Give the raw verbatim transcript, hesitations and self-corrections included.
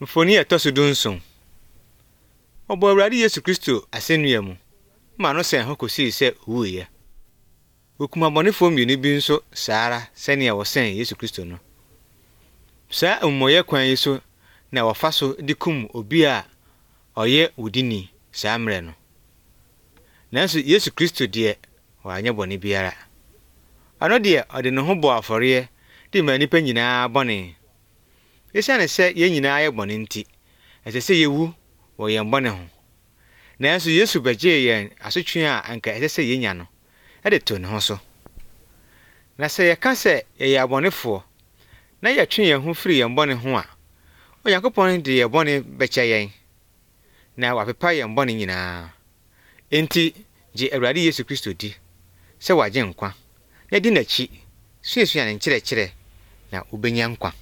Mfoni a ɛtɔ so dunson. Wɔbɔɔ Awurade Yesu Kristo asennua mu ma no sɛn hɔ kosii sɛ owuiɛ. Wokum abɔnefoɔ mmienu bi nso saa ara sɛnea wɔsɛn Yesu Kristo no. Saa amumɔyɛ kwan yi so na wɔfa so de kum obi a ɔyɛ wudini saa mmerɛ no. Nanso Yesu Kristo deɛ, wanyɛ bɔne biara. Ɔno deɛ, ɔde ne ho bɔɔ afɔreɛ de maa nnipa nyinaa bɔne. Esiane sɛ yɛn nyinaa yɛ bɔne nti, ɛsɛ sɛ yewu wɔ yɛn bɔne ho. Nanso Yesu bɛgyee yɛn asotwe a anka ɛsɛ sɛ yenya no de too ne ho so. Na sɛ yɛka sɛ yɛyɛ abɔnefoɔ na yɛtwe yɛn ho firi yɛn bɔne ho a, Onyankopɔn de yɛn bɔne bɛkyɛ yɛn, na wapepa yɛn bɔne nyinaa. Enti gye Awurade Yesu Kristo di sɛ wagye nkwa, na di n'akyi, suasua ne nkyerɛkyerɛ, na wubenya nkwa.